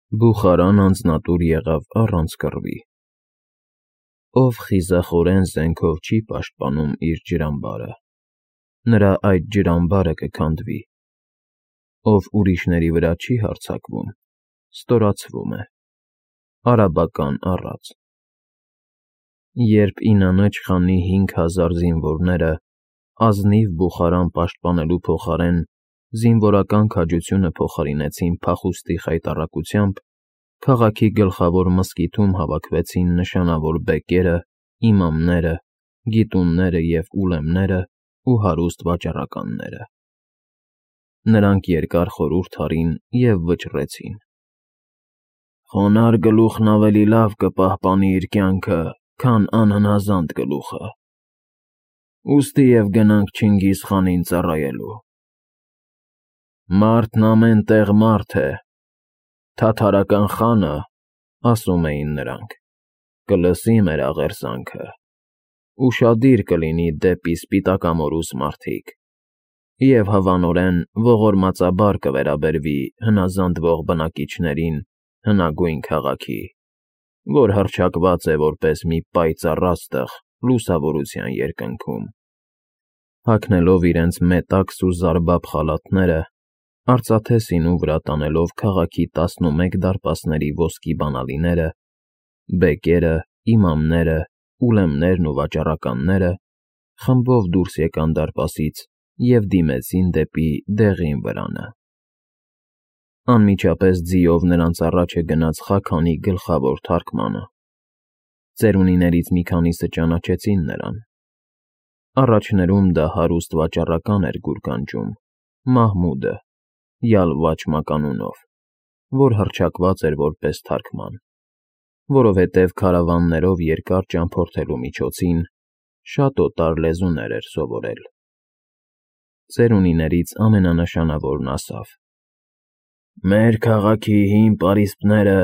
Բուխարան անձնատուր եղավ առանց կռվի։ Ով խիզախորեն զենքով չի պաշտպանում իր ջրամբարը, նրա այդ ջրամբարը կքանդվի։ Ով ուրիշների վրա չի հարձակվում, ստորացվում է։ Արաբական առած։ Երբ Ինանոջ խանի 5000 զինվորները ազնիվ Բուխարան պաշտպանելու փոխարեն զինվորական քաջությունը փոխարինեցին փախուստի խայտառակությամբ, քաղաքի գլխավոր մզկիթում հավաքվեցին նշանավոր բեկերը, իմամները, գիտունները և ուլեմները ու հարուստ վաճառականները։ Նրանք երկար խորհուրդ արին և վճռեցին. «Խոնարհ գլուխն ավելի լավ կպահպանի իր կյանքը, քան անհնազանդ գլուխը։ Ուստի և գնանք Չինգիզ խանին ծառայելու»։ «Մարդն ամեն տեղ մարդ է, թաթարական խանը, ասում էին նրանք, կլսի մեր աղերսանքը, ուշադիր կլինի դեպի սպիտակամորուս մարդիկ և հավանորեն ողորմածաբար կվերաբերվի հնազանդվող բնակիչներին հնագույն քաղաքի, որ հռչակված է որպես մի պայծառ աստղ լուսավորության երկնքում»։ Հագնելով իրենց մետաքս ու զարբապ խալաթները, արծաթե սինու վրա տանելով քաղաքի 11 դարպասների ոսկի բանալիները, բեկերը, իմամները, ուլեմներն ու վաճառականները խմբով դուրս եկան դարպասից և դիմեցին դեպի դեղին վրանը։ Անմիջապես ձիով նրանց առաջ է գնաց Խաքանի գլխավոր թարգմանը։ Ծերունիներից մի քանիսը ճանաչեցին նրան։ Առաջներում դա հարուստ վաճառական էր գուրգանջում՝ Մահմուդը, Յալվաչ մականունով, որ հռչակված էր որպես թարգման, որովհետև քարավաններով երկար ճամփորդելու միջոցին շատ օտար լեզուներ էր սովորել։ Ծերունիներից ամենանշանավորն ասավ. «Մեր քաղաքի հին պարիսպները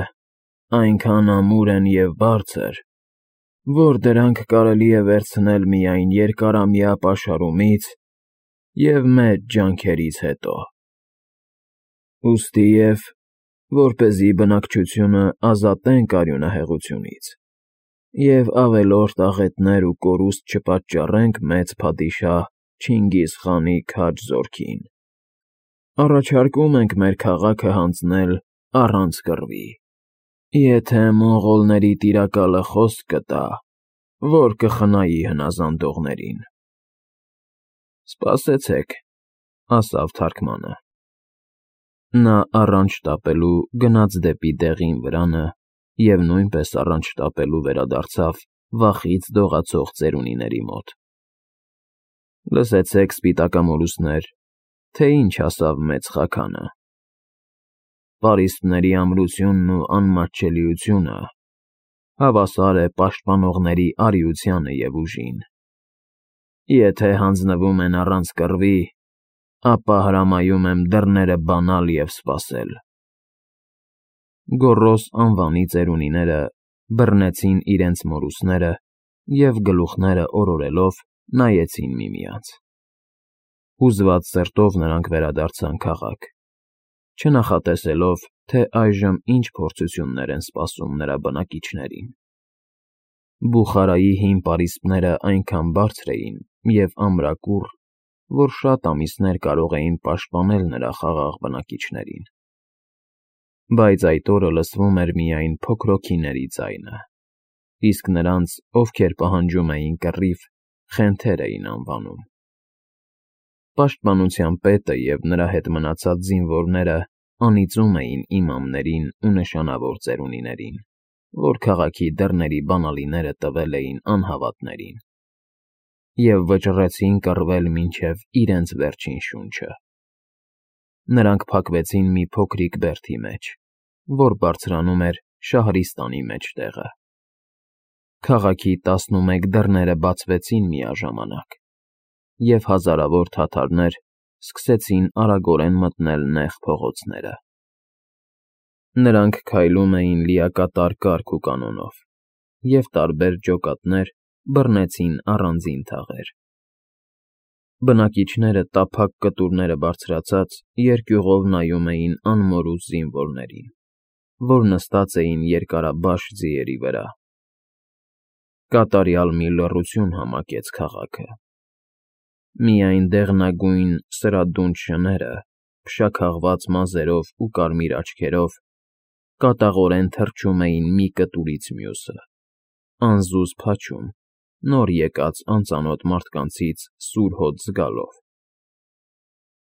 այնքան ամուր են և բարձր, որ դրանք կարելի է վերցնել միայն երկարամյա պաշարումից և մեծ ջանքերից հետո։ Ուստի և, որպեսզի բնակչությունը ազատենք արյունահեղությունից և ավելորդ աղետներ ու կորուստ չպատճառենք մեծ փադիշահ Չինգիզ խանի քաջ զորքին, առաջարկում ենք մեր քաղաքը հանձնել առանց կռվի, եթե մոնղոլների տիրակալը խոսք կտա, որ կխնայի հնազանդողներին»։ «Սպասեցեք», ասավ թարգմանը։ Նա առանց շտապելու գնաց դեպի դեղին վրանը և նույնպես առանց շտապելու վերադարձավ վախից դողացող ծերունիների մոտ։ «Լսեցեք, սպիտակամորուսներ, թե ինչ ասավ մեծ Խաքանը. պարիսպների ամրությունն ու անմատչելիությունը հավասար է պաշտպանողների արիությանը և ուժին։ Եթե հանձնվում են առանց կռվի, ապա հրամայում եմ դռները բանալ և սպասել»։ Գոռոզ անվանի ծերունիները բռնեցին իրենց մորուսները և գլուխները օրորելով նայեցին միմյանց։ Հուզված սրտով նրանք վերադարձան քաղաք, չնախատեսելով, թե այժմ ինչ փորձություններ են սպասում նրա բնակիչներին։ Բուխարայի հին պարիսպները այնքան բարձր էին և ամրակուռ, որ շատ ամիսներ կարող էին պաշտպանել նրա խաղաղ բնակիչներին։ Բայց այդ օրը լսվում էր միայն փոքրոքիների ձայնը, իսկ նրանց, ովքեր պահանջում էին կռիվ, խենթեր էին անվանում։ Պաշտպանության պետը և նրա հետ մնացած զինվորները անիծում էին իմամներին ու նշանավոր ծերունիներին, որ քաղաքի դռների բանալիները տվել էին անհավատներին, և վճռեցին կռվել մինչև իրենց վերջին շունչը։ Նրանք փակվեցին մի փոքրիկ բերդի մեջ, որ բարձրանում էր Շահրիստանի մեջտեղը։ Քաղաքի 11 դռները բացվեցին միաժամանակ, և հազարավոր թաթարներ սկսեցին արագորեն մտնել նեղ փողոցները։ Նրանք քայլում էին լիակատար կարգ ու կանոնով, և տարբեր ջոկատներ բռնեցին առանձին թաղեր։ Բնակիչները տափակ կտուրները բարձրացած երկյուղով նայում էին անմորուս զինվորներին։ որ նստած էին երկարաբաշ ձիերի վրա։ Կատարյալ մի լռություն համակեց քաղաքը։ Միայն դեղնագույն սրադունչ շները, փշաքաղված մազերով ու կարմիր աչքերով, կատաղորեն թռչում էին մի կտուրից մյուսը, անզուզ փաչում, նոր եկած անծանոթ մարդկանցից սուր հոտ զգալով։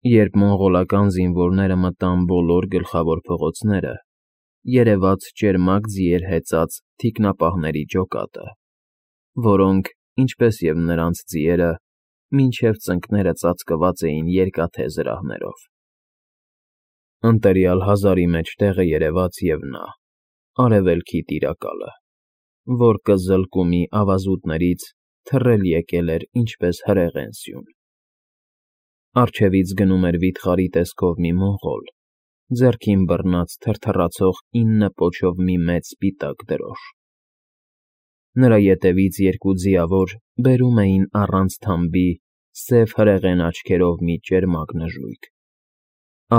Երբ մոնղոլական զինվորները մտան բոլոր գլխավոր փողոցները, երևաց ճերմակ ձիեր հեծած թիկնապահների ջոկատը, որոնք, ինչպես և նրանց ձիերը, մինչև ծնկները ծածկված էին երկաթե զրահներով։ Ընտելյալ հազարի մեջտեղը երևաց և նա, արևելքի տիրակալը, որ կզլկումի ավազուտներից թռել եկել էր ինչպես հրեղեն սյուն։ Առջևից գնում էր վիթխարի տեսքով մի մոնղոլ, ձեռքին բռնած թրթռացող 9 պոչով մի մեծ սպիտակ դրոշ։ Նրա ետևից երկու ձիավոր բերում էին առանց թամբի սև հրեղեն աչքերով մի ճերմակ նժույգ։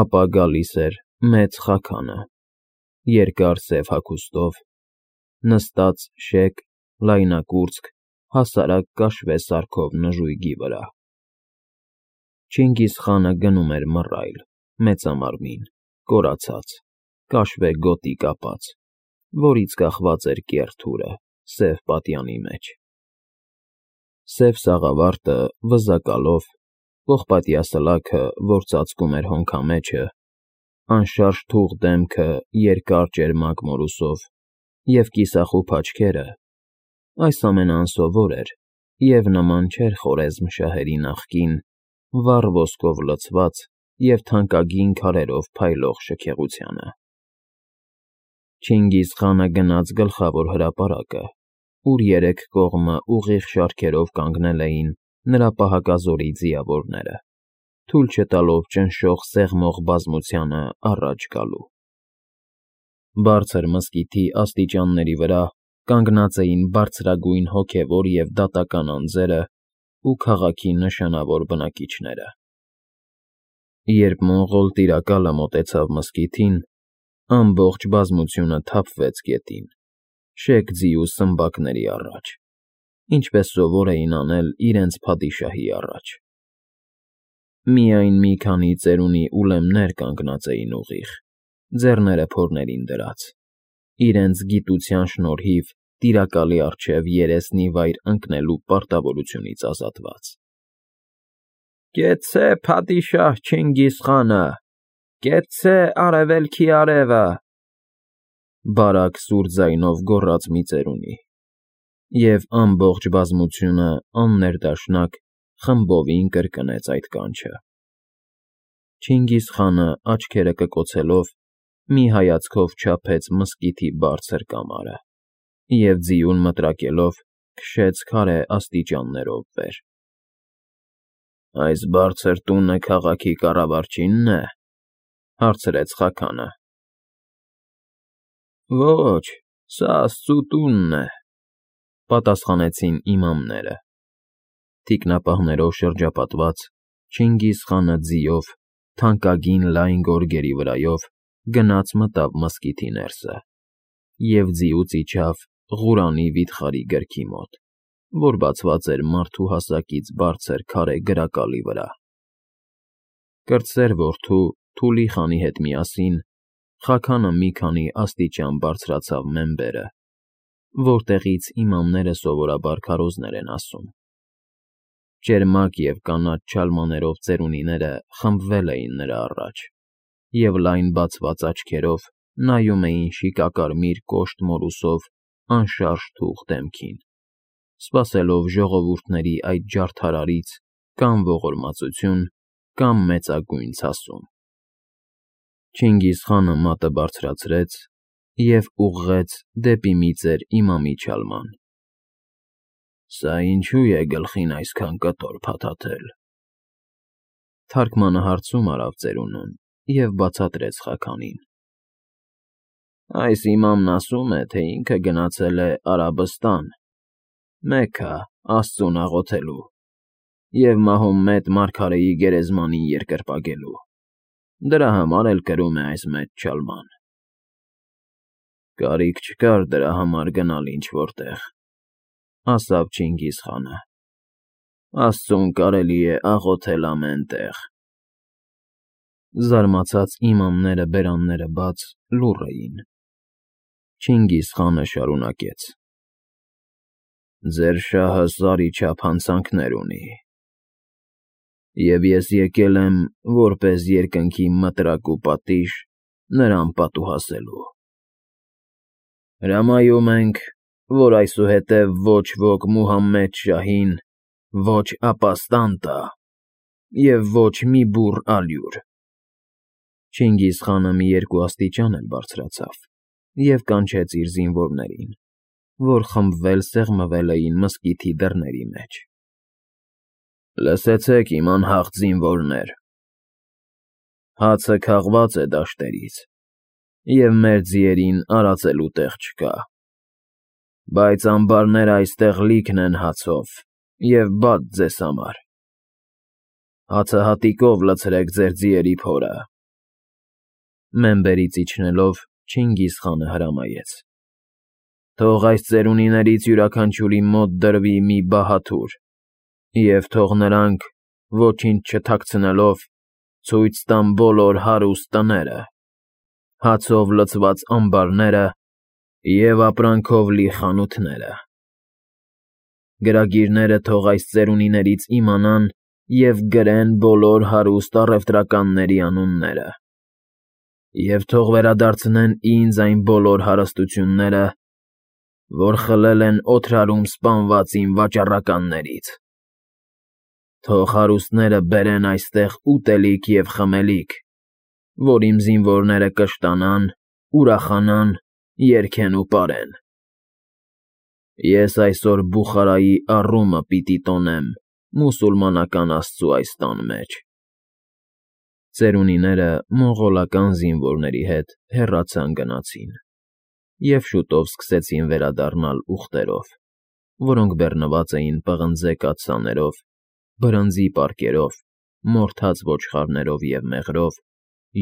Ապա գալիս էր մեծ Խաքանը, երկար սև հագուստով, նստած շեկ, լայնակուրծք, հասարակ կաշվե սարքով նժույգի վրա։ Չինգիզխանը գնում էր մռայլ, մեծամարմին, կորացած, կաշվե գոտի կապած, որից կախված էր կեռ թուրը սև պատյանի մեջ։ Սև սաղավարտը վզակալով, պողպատյա սլաքը, որ ծածկում էր հոնքամեջը, անշարժ թուղ դեմքը երկար ճերմակ մորուսով և կիսախուփ աչքերը, այս ամենը անսովոր էր և նման չէր խորեզմ շահերի նախկին, վառ ոսկով լցված և թանկագին քարերով փայլող շքեղությանը։ Չինգիզխանը գնաց գլխավոր հրապարակը, ուր երեք կողմը ուղիղ շարքերով կանգնել էին նրա պահակազորի ձիավորները, թույլ չտալով ճնշող սեղմող բազմությանը առաջ գալու։ Բարձր մզկիթի աստիճանների վրա կանգնած էին բարձրագույն հոգևոր և դատական անձերը ու քաղաքի նշանավոր բնակիչները։ Երբ մոնղոլ տիրակալը մոտեցավ մզկիթին, ամբողջ բազմությունը թափվեց գետին, շեկ ձի ու սմբակների առաջ, ինչպես սովոր էին անել իրենց փադիշահի առաջ։ Միայն մի քանի ծերունի ուլեմներ կանգնած էին ուղիղ, ձեռները փորներին դրած, իրենց գիտության շնորհիվ տիրակալի առջև երեսնի վայր ընկնելու պարտավորությունից ազատված։ «Կեցցե, փադիշահ Չինգիզխանը, կեցցե արևելքի արևը», բարակ սուր ձայնով գոռաց մի ծերունի, և ամբողջ բազմությունը աններդաշնակ խմբովին կրկնեց այդ կանչը։ Չինգիզխանը, աչքերը կկոցելով, մի հայացքով չափեց մզկիթի բարձր կամարը և ձիուն մտրակելով քշեց քարե աստիճաններով վեր։ «Այս բարձր տունը քաղաքի կառավարչինն է,֊ հարցրեց Խաքանը։ «Ոչ, սա աստծու տունն է,֊ պատասխանեցին իմամները։ Թիկնապահներով շրջապատված, Չինգիզխանը ձիով, թանկագին լայն գորգերի վրայով գնաց մտավ մզկիթի ներսը և ձիուց իջավ Ղուրանի վիթխարի գրքի մոտ, որ բացված էր մարդու հասակից բարձր քարե գրակալի վրա։ Կրտսեր որդու՝ Թուլի խանի հետ միասին Խաքանը մի քանի աստիճան բարձրացավ մեմբերը, որտեղից իմամները սովորաբար քարոզներ են ասում։ Ճերմակ և կանաչ չալմաներով ծերունիները խմբվել էին նրա առաջ և լայն բացված աչքերով նայում էին շիկակարմիր կոշտ մորուսով անշարժ թուղ դեմքին, սպասելով ժողովուրդների այդ ջարդարարից կամ ողորմածություն, կամ մեծագույն ցասում։ Չինգիզխանը մատը բարձրացրեց և ուղղեց դեպի մի ծեր իմամի չալման։ «Սա ինչո՞ւ է գլխին այսքան կտոր փաթաթել,֊ թարգմանը հարցում արավ ծերունուն և բացատրեց Խաքանին։ «Այս իմամն ասում է, թե ինքը գնացել է Արաբստան, Մեքքա, Աստծուն աղոթելու և Մահոմմեդ մարգարեի գերեզմանին երկրպագելու, դրա համար էլ կրում է այս մեծ չալման»։ Կարիք չկար դրա համար գնալ ինչ-որտեղ, ասաց Չինգիզխանը։ Աստծուն կարելի է աղոթել ամեն տեղ։ Զարմացած իմամները բերանները բաց լուռ էին։ Չինգիզխանը շարունակեց. Ձեր շահը սարի չափ հանցանքներ ունի, և ես եկել եմ որպես երկնքի մտրակ ու պատիժ նրան պատուհասելու։ Հրամայում ենք, որ այսուհետև ոչ ոք Մուհամմեդ շահին ոչ ապաստան տա և ոչ մի բուռ ալյուր։ Չինգիզխանը մի երկու աստիճան էլ բարձրացավ և կանչեց իր զինվորներին, որ խմբվել սեղմվել էին մզկիթի դռների մեջ։ Լսեցեք, իմ անհաղթ զինվորներ, հացը քաղված է դաշտերից, և մեր ձիերին արածելու տեղ չկա, բայց ամբարները այստեղ լիքն են հացով և բաց ձեզ համար։ Հացը հատիկով լցրեք ձեր ձիերի փորը։ Մեմբերից իջնելով Չինգիզխանը հրամայեց. Թող այս ծերունիներից յուրաքանչյուրի մոտ դրվի մի բահաթուր, և թող նրանք, ոչինչ չթաքցնելով, ցույց տան բոլոր հարուստ տները, հացով լցված ամբարները և ապրանքով լի խանութները։ Գրագիրները թող այս ծերունիներից իմանան և գրեն բոլոր հարուստ առևտրականների անունները, և թող վերադարձնեն ինձ այն բոլոր հարստությունները, որ խլել են Օթրարում սպանված իմ վաճառականներից։ Թող հարուստները բերեն այստեղ ուտելիք և խմելիք, որ իմ զինվորները կշտանան, ուրախանան, երգեն ու պարեն։ Ես այսօր Բուխարայի առումը պիտի տոնեմ մուսուլմանական աստծու այս տան մեջ։ Ծերունիները մոնղոլական զինվորների հետ հեռացան գնացին և շուտով սկսեցին վերադառնալ ուղտերով, որոնք բեռնված էին պղնձե կաթսաներով, բրնձի պարկերով, մորթած ոչխարներով և մեղրով,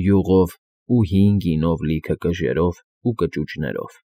յուղով ու հին գինով լիքը կժերով ու կճուճներով։